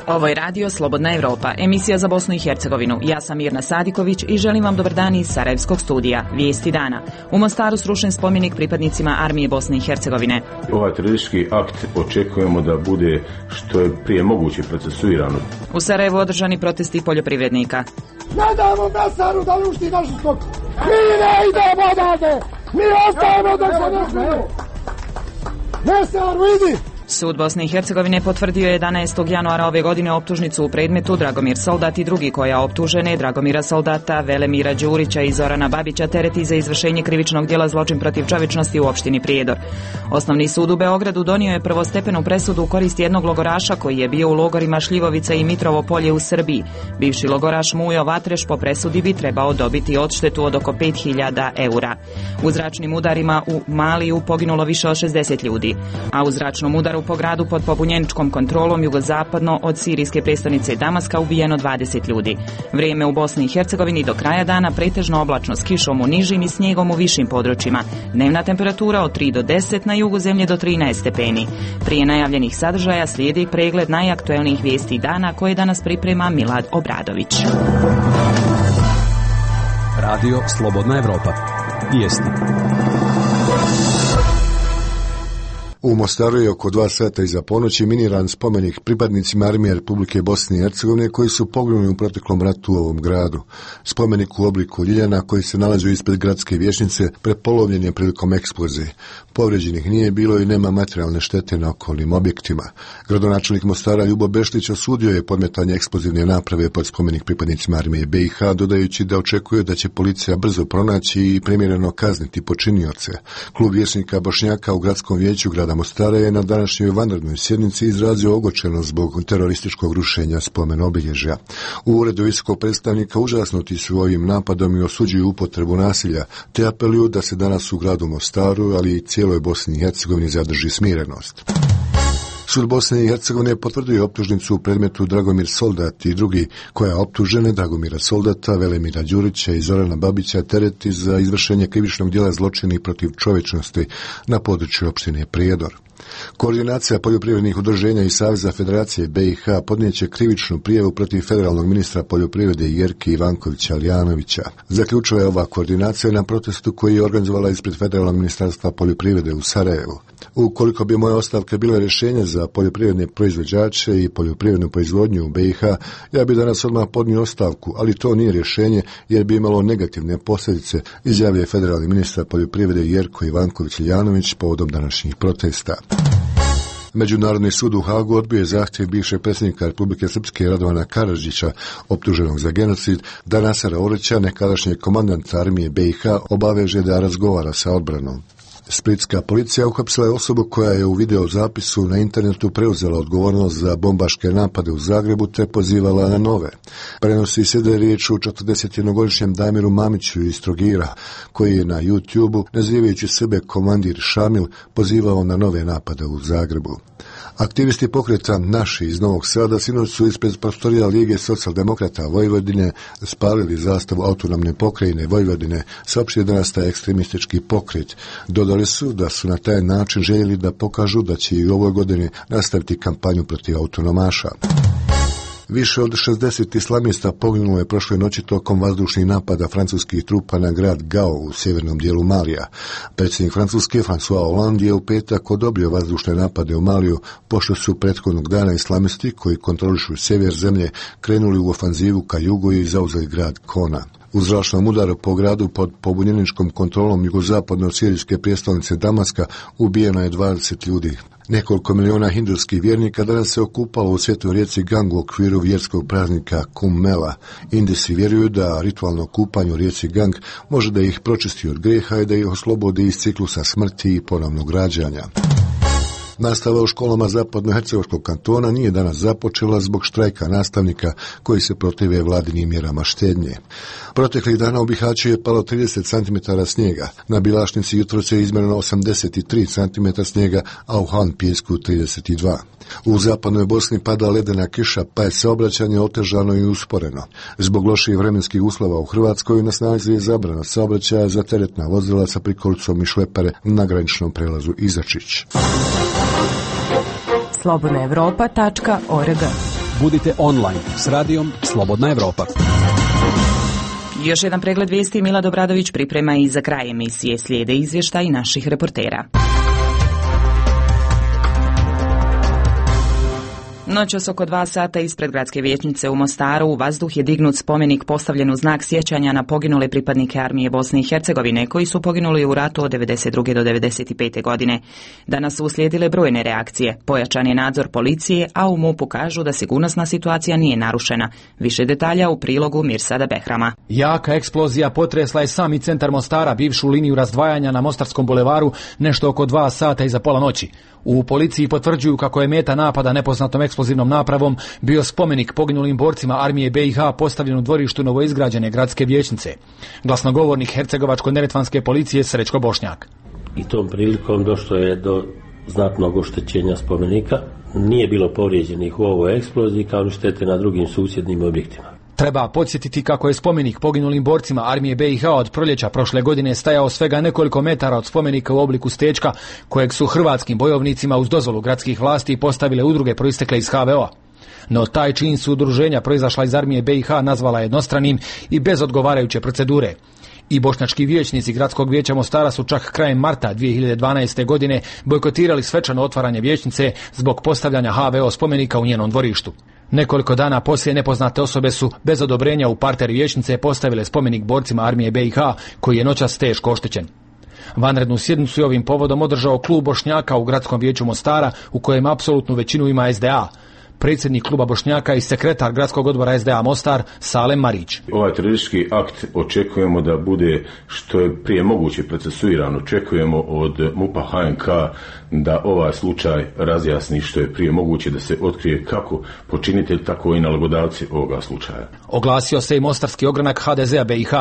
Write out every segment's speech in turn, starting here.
Ovo je radio Slobodna Evropa, emisija za Bosnu i Hercegovinu. Ja sam Mirna Sadiković i želim vam dobar dan iz Sarajevskog studija. Vijesti dana. U Mostaru srušen spomenik pripadnicima armije Bosne i Hercegovine. Ovaj teroristički akt očekujemo da bude što je prije moguće procesuirano. U Sarajevu održani protesti poljoprivrednika. Ne damo Mesaru da ušti našu stoku. Mi ne idemo odavde. Mi ostajemo da se ne smiju. Mesaru, idi! Sud Bosne i Hercegovine potvrdio je 11. januara ove godine optužnicu u predmetu Dragomir Soldat i drugi koja optužene Dragomira Soldata, Velemira Đurića i Zorana Babića tereti za izvršenje krivičnog djela zločin protiv čovječnosti u opštini Prijedor. Osnovni sud u Beogradu donio je prvostepenu presudu u korist jednog logoraša koji je bio u logorima Šljivovica i Mitrovo Polje u Srbiji. Bivši logoraš Mujo Vatreš po presudi bi trebao dobiti odštetu od oko 5.000 eura. U zračnim udarima u Maliju poginulo više od 60 ljudi, a u zračnom udaru po gradu pod pobunjeničkom kontrolom jugozapadno od sirijske prestonice Damaska ubijeno 20 ljudi. Vrijeme u Bosni i Hercegovini do kraja dana pretežno oblačno s kišom u nižim i snijegom u višim područjima. Dnevna temperatura od 3 do 10, na jugu zemlje do 13 stepeni. Prije najavljenih sadržaja slijedi pregled najaktuelnijih vijesti dana koje danas priprema Milad Obradović. Radio Slobodna Evropa. Vijesti. U Mostaru je oko 2 sata iza ponoći miniran spomenik pripadnicima armije Republike Bosne i Hercegovine koji su poginuli u proteklom ratu u ovom gradu. Spomenik u obliku ljiljana koji se nalazi ispred gradske vijećnice prepolovljen je prilikom eksplozije. Povrijeđenih nije bilo i nema materijalne štete na okolnim objektima. Gradonačelnik Mostara Ljubo Bešlić osudio je podmetanje eksplozivne naprave pod spomenik pripadnicima armije BiH, dodajući da očekuje da će policija brzo pronaći i primjereno kazniti počinioce. Klub vijećnika Bošnjaka u gradskom vijeću grada Mostara je na današnjoj vanrednoj sjednici izrazio ogorčenost zbog terorističkog rušenja spomen obilježja. U uredu visokog predstavnika užasnuti su ovim napadom i osuđuju upotrebu nasilja, te apeluju da se danas u gradu Mostaru, ali i cijeloj Bosni i Hercegovini zadrži smirenost. Sud Bosne i Hercegovine potvrdio optužnicu u predmetu Dragomir Soldat i drugi koja optužene Dragomira Soldata, Velemira Đurića i Zorana Babića tereti za izvršenje krivičnog djela zločina protiv čovječnosti na području opštine Prijedor. Koordinacija poljoprivrednih udruženja i Saveza Federacije BiH podnijeće krivičnu prijavu protiv federalnog ministra poljoprivrede Jerke Ivankovića Alijanovića. Zaključila je ova koordinacija na protestu koji je organizovala ispred Federalnog ministarstva poljoprivrede u Sarajevu. Ukoliko bi moje ostavke bile rješenje za poljoprivredne proizvođače i poljoprivrednu proizvodnju u BiH, ja bi danas odmah podnio ostavku, ali to nije rješenje jer bi imalo negativne posljedice, izjavio je federalni ministar poljoprivrede Jerko Ivanković Alijanović povodom današnjih protesta. Međunarodni sud u Hagu odbio je zahtjev bivšeg predsjednika Republike Srpske Radovana Karadžića, optuženog za genocid, da Nasera Orića, nekadašnjeg komandanta armije BiH, obaveže da razgovara sa odbranom. Splitska policija uhapsila je osobu koja je u videozapisu na internetu preuzela odgovornost za bombaške napade u Zagrebu te pozivala na nove. Prenosi se da je riječ o 41-godišnjem Damiru Mamiću iz Trogira, koji je na YouTube-u, nazivajući sebe komandir Šamil, pozivao na nove napade u Zagrebu. Aktivisti pokreta Naši iz Novog Sada sinoć su ispred prostorija Lige socijaldemokrata Vojvodine spalili zastavu autonomne pokrajine Vojvodine, saopštio da nastaje ekstremistički pokret. Dodali su da su na taj način željeli da pokažu da će i u ovoj godini nastaviti kampanju protiv autonomaša. Više od 60 islamista poginulo je prošle noći tokom vazdušnih napada francuskih trupa na grad Gao u sjevernom dijelu Malija. Predsjednik Francuske François Hollande je u petak odobrio vazdušne napade u Maliju, pošto su prethodnog dana islamisti koji kontrolišu sjever zemlje krenuli u ofanzivu ka jugu i zauzeli grad Kona. U zračnom udaru po gradu pod pobunjeničkom kontrolom jugozapadno od sirijske prijestolnice Damaska ubijeno je 20 ljudi. Nekoliko miliona hindurskih vjernika danas se okupalo u svetoj rijeci Gang u okviru vjerskog praznika Kumbh Mela. Indijci vjeruju da ritualno kupanje u rijeci Gang može da ih pročisti od grijeha i da ih oslobodi iz ciklusa smrti i ponovnog rađanja. Nastava u školama zapadnohercegovačkog kantona nije danas započela zbog štrajka nastavnika koji se protive vladinim mjerama štednje. Proteklih dana u Bihaću je palo 30 cm snijega, na Bilašnici jutros je izmjereno 83 cm snijega, a u Han Pijesku 32. U zapadnoj Bosni pada ledena kiša, pa je saobraćanje otežano i usporeno. Zbog loših vremenskih uslova u Hrvatskoj na snazi je zabrana saobraćaja za teretna vozila sa prikolicom i šlepere na graničnom prelazu Izačić. slobodnaevropa.org. Budite online s radijom Slobodna Evropa. Još jedan pregled vijesti Mila Dobradović priprema i za kraj emisije. Slijede izvještaj naših reportera. Noćas oko 2 sata ispred gradske vijećnice u Mostaru u vazduh je dignut spomenik postavljen u znak sjećanja na poginule pripadnike armije Bosne i Hercegovine koji su poginuli u ratu od 92. do 95. godine. Danas su uslijedile brojne reakcije. Pojačan je nadzor policije, a u MUP-u kažu da sigurnosna situacija nije narušena. Više detalja u prilogu Mirsada Behrama. Jaka eksplozija potresla je sami centar Mostara, bivšu liniju razdvajanja na Mostarskom bulevaru, nešto oko 2 sata iza pola noći. U policiji potvrđuju kako je meta napada nepoznatom eksplozivnom napravom bio spomenik poginulim borcima armije BiH postavljen u dvorištu novoizgrađene gradske vijećnice. Glasnogovornik hercegovačko-neretvanske policije Srećko Bošnjak. I tom prilikom došlo je do znatnog oštećenja spomenika. Nije bilo povrijeđenih u ovoj eksploziji kao ni štete na drugim susjednim objektima. Treba podsjetiti kako je spomenik poginulim borcima armije BiH od proljeća prošle godine stajao svega nekoliko metara od spomenika u obliku stečka kojeg su hrvatskim bojovnicima uz dozvolu gradskih vlasti postavile udruge proistekle iz HVO-a. No taj čin su udruženja proizašla iz armije BiH nazvala jednostranim i bez odgovarajuće procedure. I bošnjački vijećnici gradskog vijeća Mostara su čak krajem marta 2012. godine bojkotirali svečano otvaranje vijećnice zbog postavljanja HVO spomenika u njenom dvorištu. Nekoliko dana poslije nepoznate osobe su bez odobrenja u parter vijećnice postavile spomenik borcima armije BiH koji je noćas teško oštećen. Vanrednu sjednicu je ovim povodom održao klub Bošnjaka u gradskom vijeću Mostara u kojem apsolutnu većinu ima SDA. Predsjednik kluba Bošnjaka i sekretar gradskog odbora SDA Mostar Salem Marić. Ovaj teroristički akt očekujemo da bude što je prije moguće procesuiran. Očekujemo od MUP-a HNK da ovaj slučaj razjasni što je prije moguće, da se otkrije kako počinitelj, tako i nalogodavci ovoga slučaja. Oglasio se i mostarski ogranak HDZ-a BiH.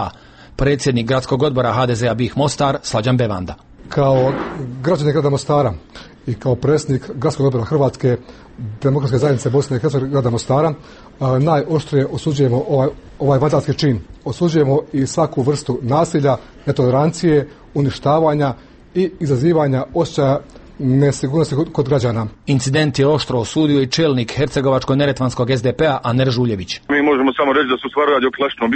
Predsjednik gradskog odbora HDZ-a BiH Mostar Slađan Bevanda. Kao građanin grada Mostara i kao predsjednik gradskog odbora Hrvatske demokratske zajednice Bosne i Hercegovine grada Mostara najoštrije osuđujemo ovaj vandalski čin. Osuđujemo i svaku vrstu nasilja, netolerancije, uništavanja i izazivanja osjećaja nesigurnosti kod građana. Incident je oštro osudio i čelnik hercegovačko-neretvanskog SDP-a Aner Žuljević. Mi možemo samo reći da su stvar radi o klasičnom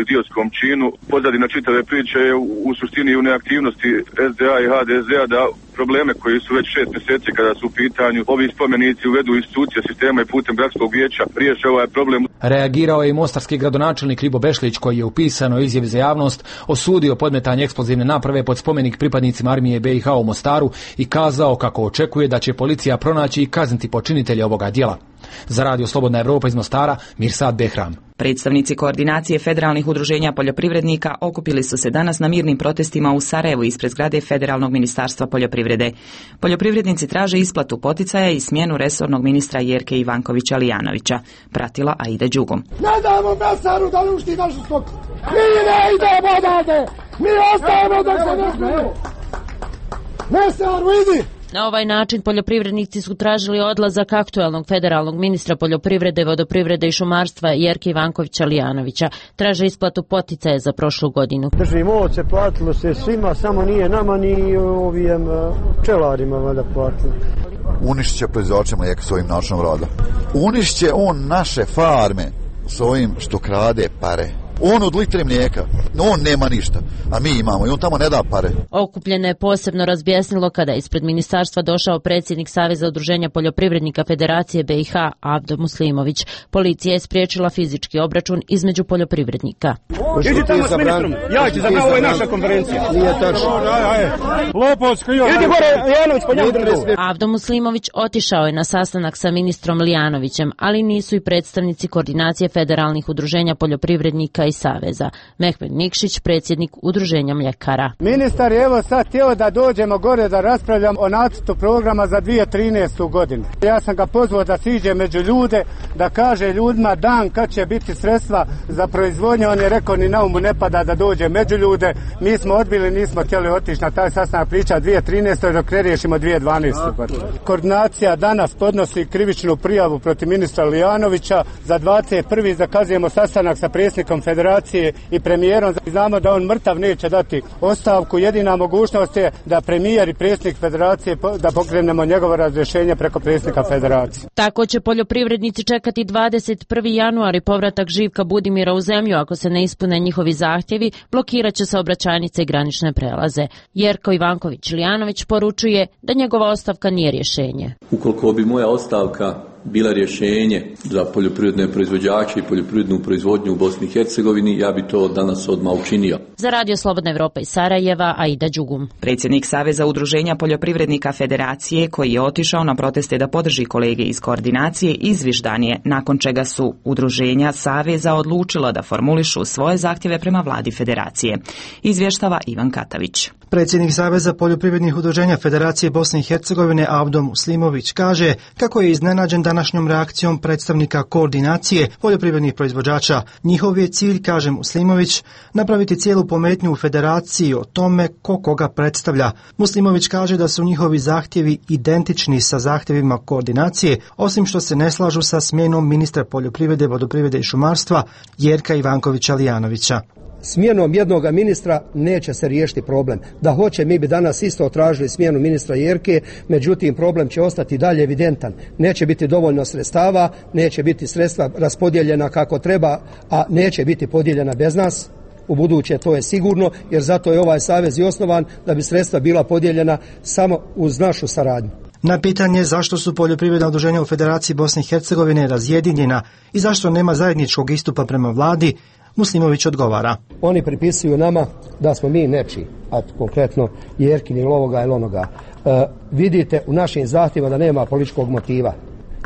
idiotskom činu. Pozadina čitave priče je u suštini u neaktivnosti SDA i HDZ-a da probleme koji su već 6 mjeseci kada su u pitanju ovi spomenici uvedu institucije sistema i putem gradskog vijeća riješe ovaj problem. Reagirao je i mostarski gradonačelnik Ljibo Bešlić koji je u pisanoj izjavi za javnost osudio podmetanje eksplozivne naprave pod spomenik pripadnicima armije BiH u Mostaru i kazao kako očekuje da će policija pronaći i kazniti počinitelje ovoga djela. Za Radio Slobodna Evropa iz Mostara, Mirsad Behram. Predstavnici koordinacije federalnih udruženja poljoprivrednika okupili su se danas na mirnim protestima u Sarajevu ispred zgrade Federalnog ministarstva poljoprivrede. Poljoprivrednici traže isplatu poticaja i smjenu resornog ministra Jerke Ivankovića Lijanovića. Pratila Aida Đugom. Ne damo Mesaru da uništi našu stoku. Mi ne idemo odavde. Mi ostajemo dok se ne smiju. Mesaru, idi! Na ovaj način poljoprivrednici su tražili odlazak aktualnog federalnog ministra poljoprivrede, vodoprivrede i šumarstva Jerke Ivankovića Lijanovića. Traže isplatu poticaja za prošlu godinu. Držimo ovce, platilo se svima, samo nije nama ni ovim pčelarima valjda platilo. Unišće će proizvođače mlijeka s ovim načinom rada. Unišće on naše farme s ovim što krade pare. On od litre mlijeka, on nema ništa, a mi imamo i on tamo ne da pare. Okupljene je posebno razbjesnilo kada je ispred ministarstva došao predsjednik Saveza udruženja poljoprivrednika Federacije BiH Avdo Muslimović. Policija je spriječila fizički obračun između poljoprivrednika. Idi tamo s ministrom, ja ću zapravo, ovo je naša konferencija. Nije tačno. Lopovsko, idi gore, Lijanović, po njemu drugu. Avdo Muslimović otišao je na sastanak sa ministrom Lijanovićem, ali nisu i predstavnici koordinacije federalnih udruženja poljoprivrednika poljoprivrednika i saveza. Mehmed Nikšić, predsjednik Udruženja mljekara. Ministar je evo sad htio da dođemo gore da raspravljam o nacrtu programa za 2013. godinu. Ja sam ga pozvao da siđe među ljude, da kaže ljudima dan kad će biti sredstva za proizvodnju. On je rekao ni na umu ne pada da dođe među ljude. Mi smo odbili, nismo htjeli otići na taj sastanak, priča 2013. dok ne riješimo 2012. Koordinacija danas podnosi krivičnu prijavu protiv ministra Lijanovića. Za 21. zakazujemo sastanak sa predsjednikom federacije i premijerom. Znamo da on mrtav neće dati ostavku. Jedina mogućnost je da premijer i predsjednik federacije da pokrenemo njegovo razrješenje preko predsjednika federacije. Tako će poljoprivrednici čekati 21. januar i povratak Živka Budimira u zemlju. Ako se ne ispune njihovi zahtjevi, blokirat će saobraćajnice i granične prelaze. Jerko Ivanković-Lijanović poručuje da njegova ostavka nije rješenje. Ukoliko bi moja ostavka bila rješenje za poljoprivredne proizvođače i poljoprivrednu proizvodnju u Bosni i Hercegovini, ja bi to danas odmah učinio. Za Radio Slobodna Evropa iz Sarajeva, Aida Đugum. Predsjednik Saveza udruženja poljoprivrednika Federacije, koji je otišao na proteste da podrži kolege iz koordinacije, izviždan je, nakon čega su udruženja Saveza odlučila da formulišu svoje zahtjeve prema vladi Federacije. Izvještava Ivan Katavić. Predsjednik Saveza poljoprivrednih udruženja Federacije Bosne i Hercegovine Avdo Muslimović kaže kako je iznenađen današnjom reakcijom predstavnika koordinacije poljoprivrednih proizvođača. Njihov je cilj, kaže Muslimović, napraviti cijelu pometnju u Federaciji o tome ko koga predstavlja. Muslimović kaže da su njihovi zahtjevi identični sa zahtjevima koordinacije, osim što se ne slažu sa smjenom ministra poljoprivrede, vodoprivrede i šumarstva Jerka Ivankovića-Lijanovića. Smjenom jednog ministra neće se riješiti problem. Da hoće, mi bi danas isto tražili smjenu ministra Jerke, međutim problem će ostati dalje evidentan. Neće biti dovoljno sredstava, neće biti sredstva raspodijeljena kako treba, a neće biti podijeljena bez nas. U buduće to je sigurno, jer zato je ovaj savez i osnovan, da bi sredstva bila podijeljena samo uz našu saradnju. Na pitanje zašto su poljoprivredna udruženja u Federaciji Bosne i Hercegovine razjedinjena i zašto nema zajedničkog istupa prema vladi, Muslimović odgovara. Oni pripisuju nama da smo mi nečiji, a konkretno Jerkin ili ovoga ili onoga. Vidite u našim zahtjevima da nema političkog motiva.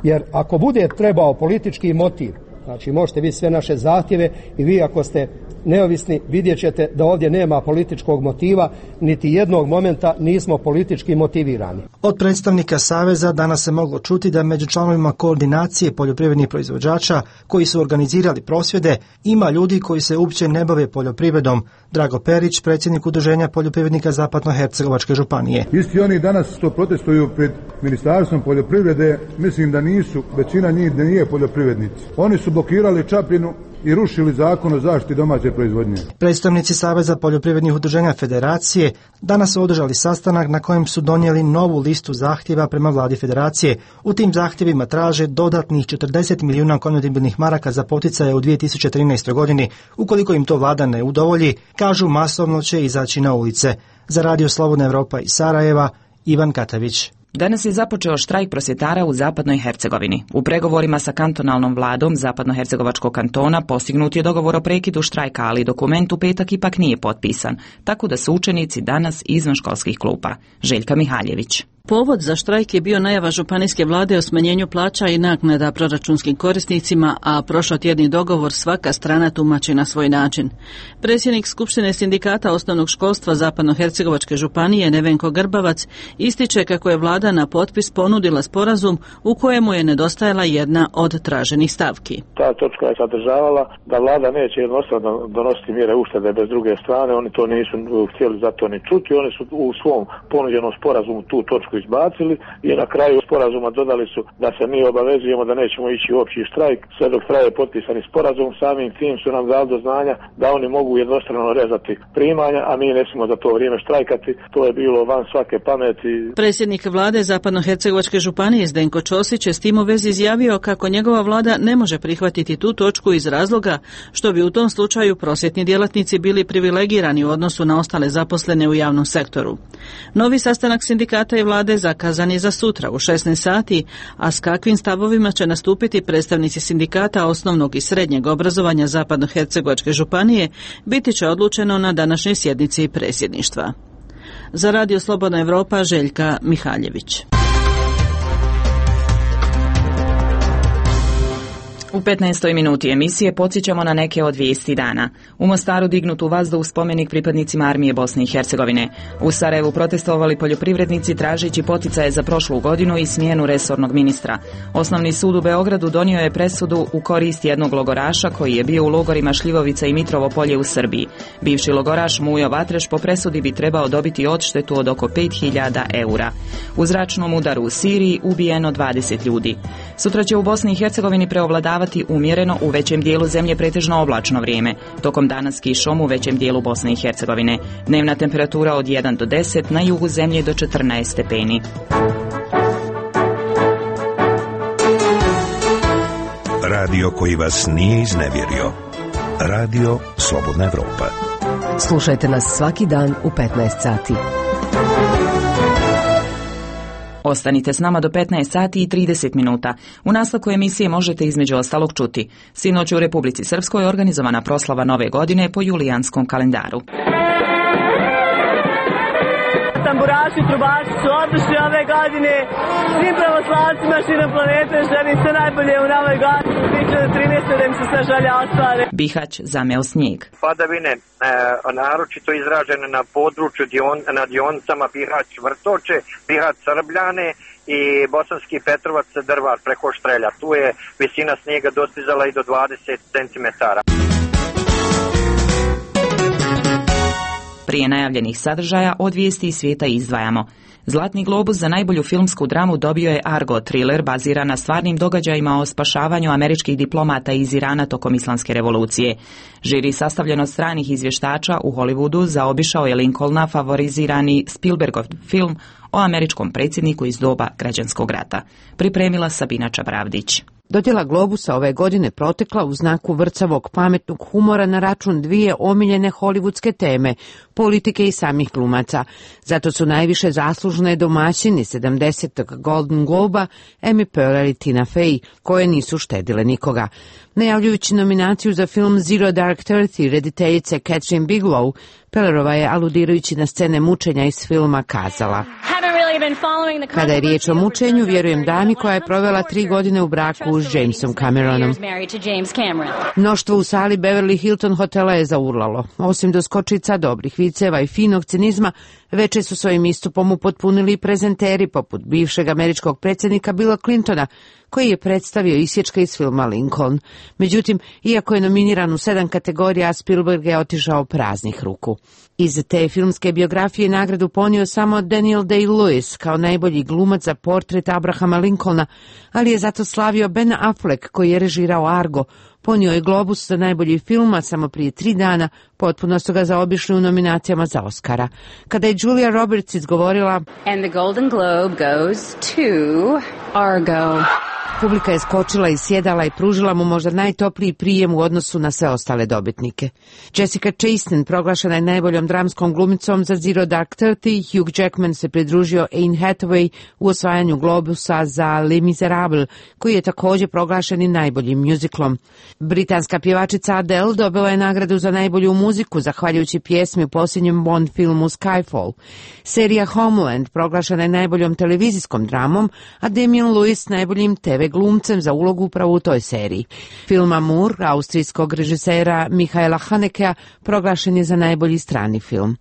Jer ako bude trebao politički motiv, znači možete vidjeti sve naše zahtjeve i vi ako ste neovisni vidjet ćete da ovdje nema političkog motiva, niti jednog momenta nismo politički motivirani. Od predstavnika Saveza danas se moglo čuti da među članovima koordinacije poljoprivrednih proizvođača koji su organizirali prosvjede ima ljudi koji se uopće ne bave poljoprivredom. Drago Perić, predsjednik Udruženja poljoprivrednika Zapadno-Hercegovačke županije. Isti oni danas što protestuju pred Ministarstvom poljoprivrede, mislim da nisu, većina njih da nije poljoprivrednici. Oni su blokirali Čapljinu i rušili zakon o zaštiti domaće proizvodnje. Predstavnici Saveza poljoprivrednih udruženja Federacije danas su održali sastanak na kojem su donijeli novu listu zahtjeva prema vladi Federacije. U tim zahtjevima traže dodatnih 40 milijuna konvertibilnih maraka za poticaje u 2013. godini. Ukoliko im to vlada ne udovolji, kažu masovno će izaći na ulice. Za Radio Slobodna Evropa iz Sarajeva, Ivan Katavić. Danas je započeo štrajk prosvjetara u Zapadnoj Hercegovini. U pregovorima sa kantonalnom vladom Zapadno-Hercegovačkog kantona postignut je dogovor o prekidu štrajka, ali dokument u petak ipak nije potpisan, tako da su učenici danas izvan školskih klupa. Željka Mihaljević. Povod za štrajk je bio najava županijske vlade o smanjenju plaća i naknada proračunskim korisnicima, a prošlotjedni dogovor svaka strana tumači na svoj način. Predsjednik Skupštine sindikata osnovnog školstva Zapadno-Hercegovačke županije Nevenko Grbavac ističe kako je vlada na potpis ponudila sporazum u kojemu je nedostajala jedna od traženih stavki. Ta točka je sadržavala da vlada neće jednostavno donositi mjere uštede bez druge strane, oni to nisu htjeli zato ni čuti, oni su u svom ponuđenom sporazumu tu točku izbacili i na kraju sporazuma dodali su da se mi obavezujemo da nećemo ići u opći štrajk sve dok traje potpisani sporazum. Samim tim su nam dali do znanja da oni mogu jednostrano rezati primanja, a mi ne smijemo za to vrijeme štrajkati. To je bilo van svake pameti. Predsjednik vlade Zapadno-Hercegovačke županije Zdenko Ćosić je s tim u vezi izjavio kako njegova vlada ne može prihvatiti tu točku iz razloga što bi u tom slučaju prosvjetni djelatnici bili privilegirani u odnosu na ostale zaposlene u javnom sektoru. Novi sastanak sindikata i vlade zakazan je za sutra u 16 sati, a s kakvim stavovima će nastupiti predstavnici sindikata osnovnog i srednjeg obrazovanja Zapadno-Hercegovačke županije biti će odlučeno na današnjoj sjednici predsjedništva. Za Radio Slobodna Evropa, Željka Mihaljević. U 15. minuti emisije podsjećamo na neke od vijesti dana. U Mostaru dignut u vazduh spomenik pripadnicima armije Bosne i Hercegovine. U Sarajevu protestovali poljoprivrednici tražeći poticaje za prošlu godinu i smjenu resornog ministra. Osnovni sud u Beogradu donio je presudu u korist jednog logoraša koji je bio u logorima Šljivovica i Mitrovo polje u Srbiji. Bivši logoraš Mujo Vatreš po presudi bi trebao dobiti odštetu od oko 5.000 eura. U zračnom udaru u Siriji ubijeno 20 ljudi. Sutra će u Bosni i Hercegovini preovladavati umjereno, u većem dijelu zemlje pretežno oblačno vrijeme. Tokom dana s kišom u većem dijelu Bosne i Hercegovine. Dnevna temperatura od 1 do 10, na jugu zemlje do 14 stepeni. Radio koji vas nije iznevjerio. Radio Slobodna Evropa. Slušajte nas svaki dan u 15 sati. Ostanite s nama do 15 sati i 30 minuta. U nastavku emisije možete između ostalog čuti. Sinoć u Republici Srpskoj organizovana proslava Nove godine po julijanskom kalendaru. Tamburaši, trubači su odlični ove godine. Svim pravoslavcima širom planete želim sve najbolje u novoj godini 2013. da im se sve želje ostvare. Bihać zameo snijeg. Padavine naročito izražene na području na dionicama Bihać Vrtoče, Bihać Srbljane i Bosanski Petrovac Drvar preko Štrelja. Tu je visina snijega dostizala i do 20 cm. Prije najavljenih sadržaja od vijesti iz svijeta izdvajamo. Zlatni globus za najbolju filmsku dramu dobio je Argo, thriller baziran na stvarnim događajima o spašavanju američkih diplomata iz Irana tokom Islamske revolucije. Žiri sastavljen od stranih izvještača u Hollywoodu zaobišao je Lincolna favorizirani Spielbergov film o američkom predsjedniku iz doba građanskog rata. Pripremila Sabina Čabravdić. Dodjela Globusa ove godine protekla u znaku vrcavog pametnog humora na račun dvije omiljene hollywoodske teme, politike i samih glumaca. Zato su najviše zaslužne domaćini 70. Golden Globa Amy Poehler i Tina Fey, koje nisu štedile nikoga. Najavljujući nominaciju za film Zero Dark Thirty rediteljice Catherine Bigelow, Poehlerova je, aludirajući na scene mučenja iz filma, kazala: Kada je riječ o mučenju, vjerujem dami koja je provela 3 godine u braku s Jamesom Cameronom. Mnoštvo u sali Beverly Hilton hotela je zaurlalo. Osim doskočica, dobrih viceva i finog cinizma, veče su svojim istupom upotpunili i prezenteri poput bivšeg američkog predsjednika Billa Clintona, koji je predstavio isječke iz filma Lincoln. Međutim, iako je nominiran u 7 kategorija, Spielberg je otišao praznih ruku. Iz te filmske biografije nagradu ponio samo Daniel Day-Lewis kao najbolji glumac za portret Abrahama Lincolna, ali je zato slavio Ben Affleck, koji je režirao Argo. Ponio je Globus za najbolji film, a samo prije 3 dana potpuno su ga zaobišli u nominacijama za Oscara. Kada je Julia Roberts izgovorila And the Golden Globe goes to Argo. Publika je skočila iz sjedala i pružila mu možda najtopliji prijem u odnosu na sve ostale dobitnike. Jessica Chastain proglašena je najboljom dramskom glumicom za Zero Dark Thirty. Hugh Jackman se pridružio Anne Hathaway u osvajanju Globusa za Les Miserables, koji je također proglašen i najboljim muziklom. Britanska pjevačica Adele dobila je nagradu za najbolju muziku zahvaljujući pjesmi u posljednjem Bond filmu Skyfall. Serija Homeland proglašena je najboljom televizijskom dramom, a Damian Lewis najboljim TV glumcem za ulogu upravo u toj seriji. Film Amour austrijskog režisera Michaela Hanekea proglašen je za najbolji strani film.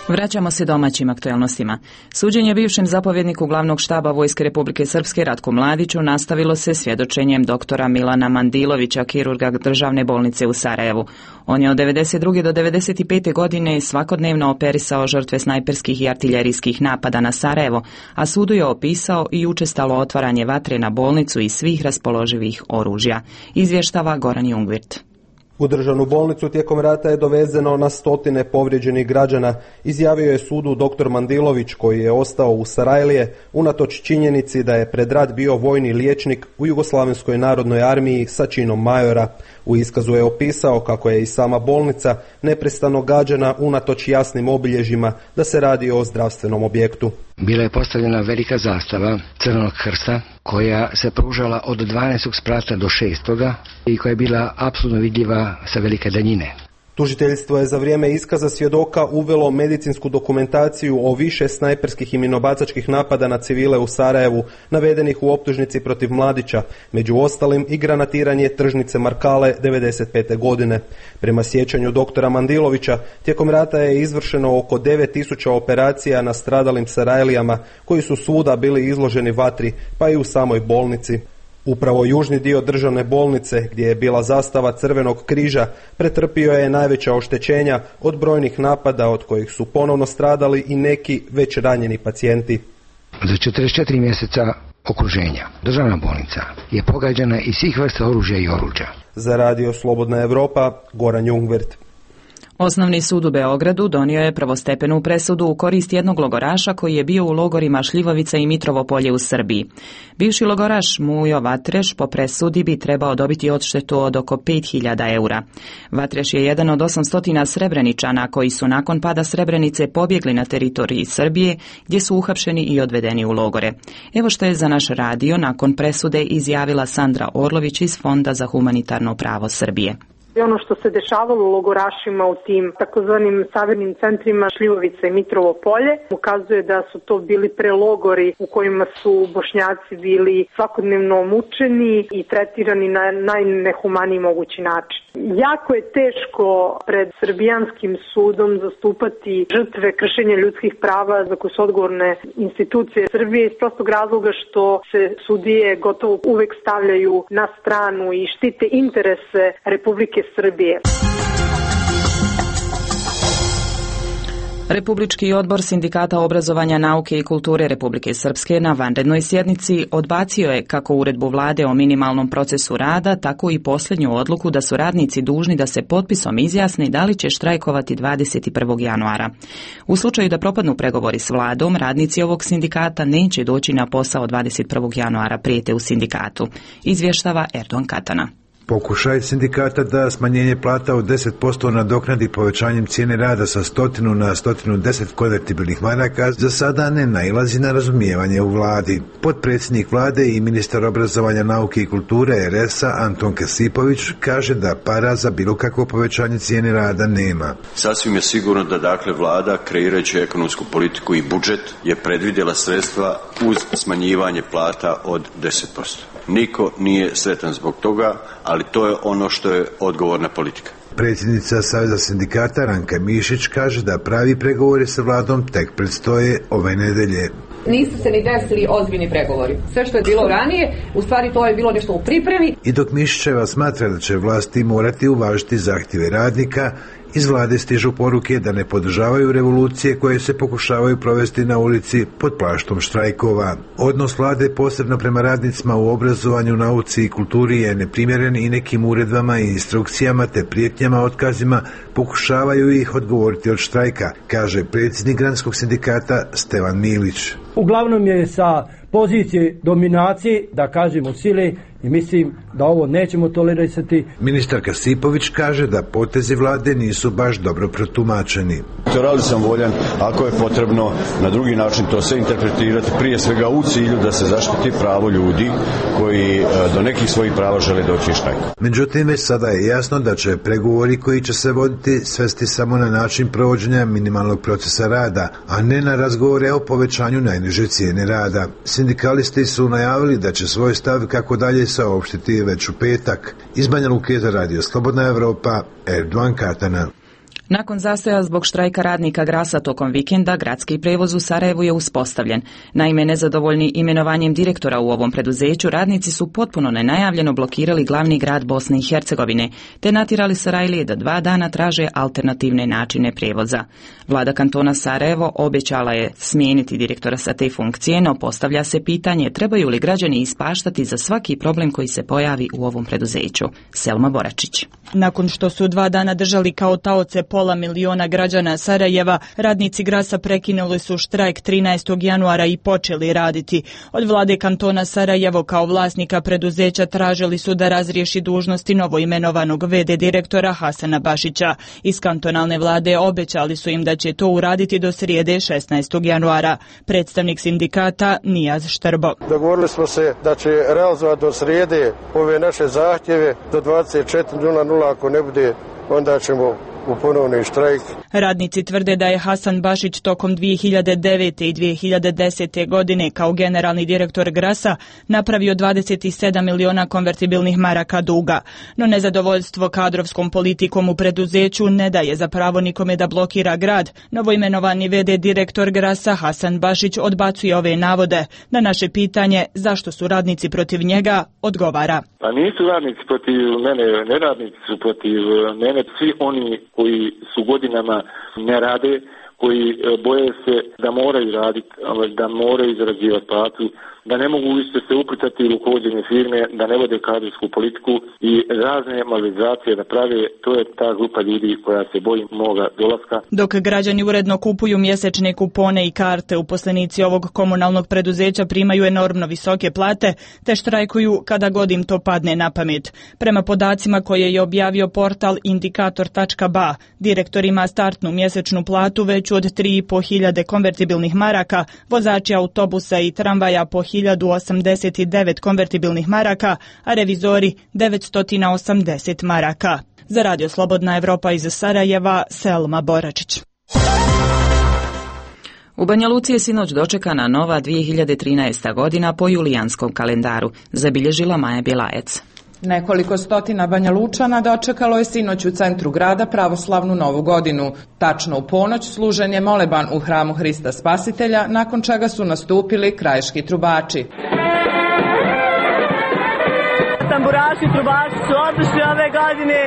Vraćamo se domaćim aktualnostima. Suđenje bivšem zapovjedniku glavnog štaba Vojske Republike Srpske Ratku Mladiću nastavilo se svjedočenjem doktora Milana Mandilovića, kirurga državne bolnice u Sarajevu. On je od 92. do 95. godine svakodnevno operisao žrtve snajperskih i artiljerijskih napada na Sarajevo, a sudu je opisao i učestalo otvaranje vatre na bolnicu i svih raspoloživih oružja. Izvještava Goran Jungvirt. U državnu bolnicu tijekom rata je dovezeno na stotine povrijeđenih građana, izjavio je sudu dr. Mandilović, koji je ostao u Sarajlije unatoč činjenici da je pred rat bio vojni liječnik u Jugoslavenskoj narodnoj armiji sa činom majora. U iskazu je opisao kako je i sama bolnica neprestano gađana unatoč jasnim obilježjima da se radi o zdravstvenom objektu. Bila je postavljena velika zastava Crvenog krsta koja se pružala od 12. sprata do 6. i koja je bila apsolutno vidljiva sa velike daljine. Tužiteljstvo je za vrijeme iskaza svjedoka uvelo medicinsku dokumentaciju o više snajperskih i minobacačkih napada na civile u Sarajevu, navedenih u optužnici protiv Mladića, među ostalim i granatiranje tržnice Markale 1995. godine. Prema sjećanju doktora Mandilovića, tijekom rata je izvršeno oko 9000 operacija na stradalim Sarajlijama, koji su svuda bili izloženi vatri, pa i u samoj bolnici. Upravo južni dio državne bolnice, gdje je bila zastava Crvenog križa, pretrpio je najveća oštećenja od brojnih napada od kojih su ponovno stradali i neki već ranjeni pacijenti. Za 44 mjeseca okruženja državna bolnica je pogađana iz svih vrsta oružja i oruđa. Za Radio Slobodna Evropa, Goran Jungwirth. Osnovni sud u Beogradu donio je prvostepenu presudu u korist jednog logoraša koji je bio u logorima Šljivovica i Mitrovo Polje u Srbiji. Bivši logoraš Mujo Vatreš po presudi bi trebao dobiti odštetu od oko 5.000 eura. Vatreš je jedan od 800 Srebreničana koji su nakon pada Srebrenice pobjegli na teritoriji Srbije, gdje su uhapšeni i odvedeni u logore. Evo što je za naš radio nakon presude izjavila Sandra Orlović iz Fonda za humanitarno pravo Srbije. Ono što se dešavalo logorašima u tim takozvanim savirnim centrima Šljivovica i Mitrovo Polje ukazuje da su to bili prelogori u kojima su Bošnjaci bili svakodnevno mučeni i tretirani na najnehumaniji mogući način. Jako je teško pred srbijanskim sudom zastupati žrtve kršenja ljudskih prava za koje su odgovorne institucije Srbije iz prostog razloga što se sudije gotovo uvek stavljaju na stranu i štite interese Republike Srbije. Republički odbor Sindikata obrazovanja, nauke i kulture Republike Srpske na vanrednoj sjednici odbacio je kako uredbu vlade o minimalnom procesu rada, tako i posljednju odluku da su radnici dužni da se potpisom izjasne da li će štrajkovati 21. januara. U slučaju da propadnu pregovori s vladom, radnici ovog sindikata neće doći na posao 21. januara, prijete u sindikatu, izvještava Erdogan Katana. Pokušaj sindikata da smanjenje plata od 10% nadoknadi povećanjem cijene rada sa 100 na 110 konvertibilnih maraka za sada ne nailazi na razumijevanje u vladi. Potpredsjednik vlade i ministar obrazovanja, nauke i kulture RS-a Anton Kesipović kaže da para za bilo kakvo povećanje cijene rada nema. Sasvim je sigurno da dakle vlada, kreirajući ekonomsku politiku i budžet, je predvidjela sredstva uz smanjivanje plata od 10%. Niko nije sretan zbog toga, ali to je ono što je odgovorna politika. Predsjednica Saveza sindikata Ranka Mišić kaže da pravi pregovori sa vladom tek predstoje ove nedelje. Nisu se ni desili ozbiljni pregovori. Sve što je bilo ranije, u stvari to je bilo nešto u pripremi. I dok Mišićeva smatra da će vlasti morati uvažiti zahtjeve radnika, iz vlade stižu poruke da ne podržavaju revolucije koje se pokušavaju provesti na ulici pod plaštom štrajkova. Odnos vlade posebno prema radnicima u obrazovanju, nauci i kulturi je neprimjeren i nekim uredbama i instrukcijama te prijetnjama otkazima pokušavaju ih odgovoriti od štrajka, kaže predsjednik Granskog sindikata Stevan Milić. Uglavnom je sa pozicije dominacije, da kažemo sile, i mislim da ovo nećemo tolerisati. Ministar Kasipović kaže da potezi vlade nisu baš dobro protumačeni. Radi sam voljan, ako je potrebno na drugi način to sve interpretirati, prije svega u cilju da se zaštiti pravo ljudi koji do nekih svojih prava žele doći štrajk. Međutim, već sada je jasno da će pregovori koji će se voditi svesti samo na način provođenja minimalnog procesa rada, a ne na razgovore o povećanju najniže cijene rada. Sindikalisti su najavili da će svoj stav kako dalje saopštiti već u petak. Iz Banja Luke za Radio Slobodna Evropa, Erdogan Katana. Nakon zastoja zbog štrajka radnika Grasa tokom vikenda, gradski prevoz u Sarajevu je uspostavljen. Naime, nezadovoljni imenovanjem direktora u ovom preduzeću, radnici su potpuno nenajavljeno blokirali glavni grad Bosne i Hercegovine, te natjerali Sarajlije da 2 dana traže alternativne načine prevoza. Vlada kantona Sarajevo obećala je smijeniti direktora sa te funkcije, no postavlja se pitanje trebaju li građani ispaštati za svaki problem koji se pojavi u ovom preduzeću. Selma Boračić. Nakon što su 2 dana držali kao taoce 500.000 građana Sarajeva, radnici Grasa prekinuli su štrajk 13. januara i počeli raditi. Od vlade kantona Sarajevo kao vlasnika preduzeća tražili su da razriješi dužnosti novoimenovanog VD direktora Hasana Bašića. Iz kantonalne vlade obećali su im da će to uraditi do srijede 16. januara. Predstavnik sindikata Nijaz Štrbo. Dogovorili smo se da će realizovati do srijede ove naše zahtjeve do 24:00, ako ne bude onda ćemo u ponovni štrajk. Radnici tvrde da je Hasan Bašić tokom 2009. i 2010. godine kao generalni direktor Grasa napravio 27 miliona konvertibilnih maraka duga. No nezadovoljstvo kadrovskom politikom u preduzeću ne daje za pravo nikome da blokira grad. Novoimenovani v.d. direktor Grasa Hasan Bašić odbacuje ove navode. Na naše pitanje zašto su radnici protiv njega odgovara. Pa nisu radnici protiv mene, ne radnici su protiv mene, svi oni koji su godinama ne rade, koji boje se da moraju raditi, da moraju zarađivati platu, da ne mogu više se uplitati u rukovođenje firme, da ne vode kadrovsku politiku i razne malverzacije da prave, to je ta grupa ljudi koja se boji moga dolaska. Dok građani uredno kupuju mjesečne kupone i karte, uposlenici ovog komunalnog preduzeća primaju enormno visoke plate, te štrajkuju kada god im to padne na pamet. Prema podacima koje je objavio portal Indikator.ba, direktor ima startnu mjesečnu platu veću od 3.500 konvertibilnih maraka, vozači autobusa i tramvaja po 1089 konvertibilnih maraka, a revizori 980 maraka. Za Radio Slobodna Evropa iz Sarajeva, Selma Boračić. U Banja Luci je sinoć dočekana nova 2013. godina po julijanskom kalendaru, zabilježila Maja Bjelajec. Nekoliko stotina Banja Lučana dočekalo je sinoć u centru grada pravoslavnu novu godinu. Tačno u ponoć služen je moleban u hramu Hrista Spasitelja, nakon čega su nastupili krajiški trubači. Tamburaši i trubači su odlični ove godine.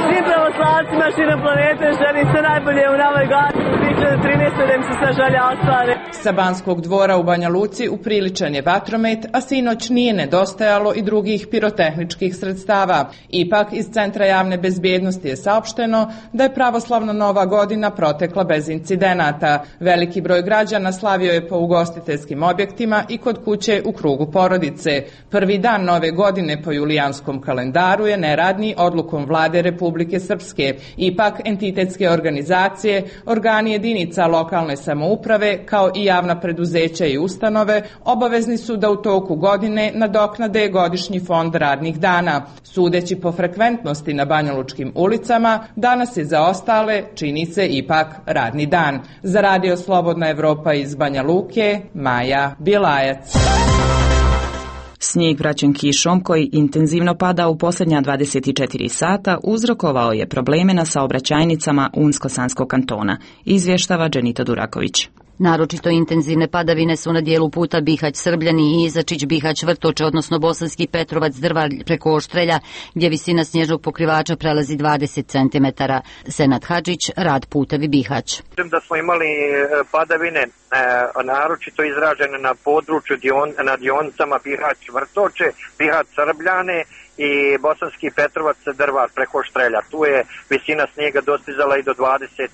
Svim pravoslavcima širom planete želim sve najbolje u novoj godini 2013. da im se sve želje ostvare. Sa Banskog dvora u Banja Luci upriličan je vatromet, a sinoć nije nedostajalo i drugih pirotehničkih sredstava. Ipak iz Centra javne bezbjednosti je saopšteno da je pravoslavna nova godina protekla bez incidenata. Veliki broj građana slavio je po ugostiteljskim objektima i kod kuće u krugu porodice. Prvi dan nove godine po julijanskom kalendaru je neradni odlukom Vlade Republike Srpske. Ipak entitetske organizacije, organi jedinica lokalne samouprave kao i javna preduzeća i ustanove obavezni su da u toku godine nadoknade godišnji fond radnih dana. Sudeći po frekventnosti na banjalučkim ulicama, danas je za ostale, čini se, ipak radni dan. Za Radio Slobodna Evropa iz Banja Luke, Maja Bjelajac. Snijeg vraćen kišom koji intenzivno pada u posljednja 24 sata uzrokovao je probleme na saobraćajnicama Unsko-Sanskog kantona, izvještava Dženita Duraković. Naročito intenzivne padavine su na dijelu puta Bihać-Srbljani i Izačić-Bihać-Vrtoče, odnosno Bosanski Petrovac-Drvar preko Oštrelja, gdje visina snježnog pokrivača prelazi 20 cm. Senad Hadžić, Rad putevi Bihać. Da smo imali padavine naročito izražene na području na dionicama Bihać-Vrtoče, Bihać-Srbljane i Bosanski Petrovac-Drvar preko Oštrelja. Tu je visina snijega dostizala i do 20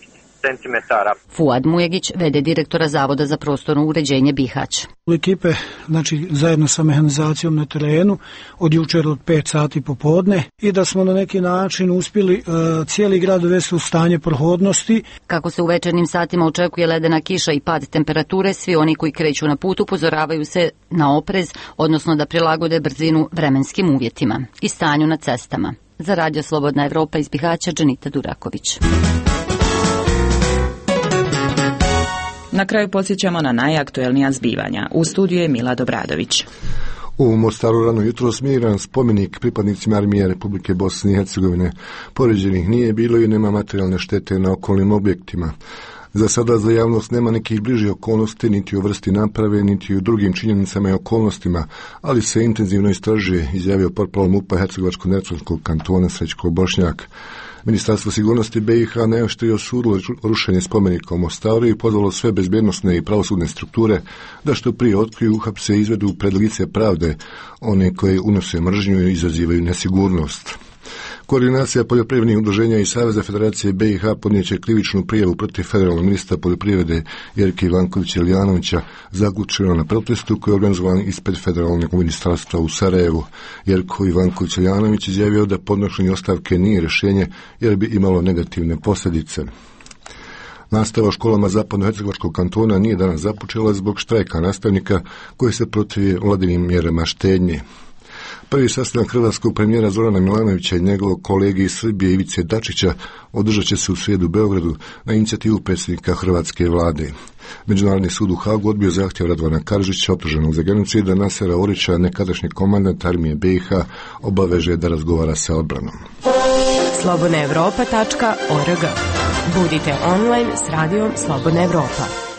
centimetara. Fuad Mujegić, v.d. direktora Zavoda za prostorno uređenje Bihać. Ekipe, znači zajedno sa mehanizacijom na terenu od jučer od 5 sati popodne i da smo na neki način uspjeli cijeli grad uvesti u stanje prohodnosti. Kako se u večernjim satima očekuje ledena kiša i pad temperature, svi oni koji kreću na put upozoravaju se na oprez, odnosno da prilagode brzinu vremenskim uvjetima i stanju na cestama. Za Radio Slobodna Evropa iz Bihaća, Dženita Duraković. Na kraju podsjećamo na najaktuelnija zbivanja. U studiju je Mila Dobradović. U Mostaru rano jutro smiran spomenik pripadnicima armije Republike Bosne i Hercegovine. Poređenih nije bilo i nema materijalne štete na okolnim objektima. Za sada za javnost nema nekih bližih okolnosti, niti u vrsti naprave, niti u drugim činjenicama i okolnostima, ali se intenzivno istražuje, izjavio portparol MUP-a Hercegovačko-Neretvanskog kantona Srećko Bošnjak. Ministarstvo sigurnosti BiH najoštrije osudilo rušenje spomenika u Mostaru i pozvalo sve bezbjednosne i pravosudne strukture da što prije otkriju, uhapse i izvedu pred lice pravde one koje unose mržnju i izazivaju nesigurnost. Koordinacija poljoprivrednih udruženja i Saveza Federacije BiH podnijeće krivičnu prijavu protiv federalnog ministra poljoprivrede Jerke Ivankovića-Iljanovića zaključeno na protestu koji je organizovan ispred federalnog ministarstva u Sarajevu. Jerko Ivanković-Iljanović izjavio da podnošenje ostavke nije rješenje jer bi imalo negativne posljedice. Nastava u školama Zapadno-Hercegovačkog kantona nije danas započela zbog štrajka nastavnika koji se protivi vladinim mjerama štednje. Prvi sastanak hrvatskog premijera Zorana Milanovića i njegovog kolege iz Srbije Ivice Dačića održat će se u srijedu u Beogradu na inicijativu predsjednika hrvatske vlade. Međunarodni sud u Hagu odbio zahtjev Radovana Karadžića, optuženog za genocid, da Nasera Orića, nekadašnji komandant armije BiH, obaveže da razgovara sa odbranom. slobodnaevropa.org. Budite online s radijom Slobodna Evropa.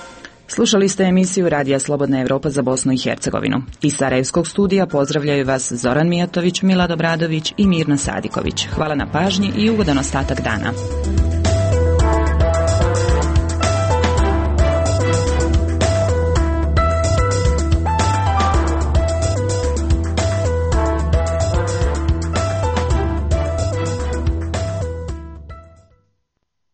Slušali ste emisiju Radija Slobodna Evropa za Bosnu i Hercegovinu. Iz Sarajevskog studija pozdravljaju vas Zoran Mijatović, Milad Obradović i Mirna Sadiković. Hvala na pažnji i ugodan ostatak dana.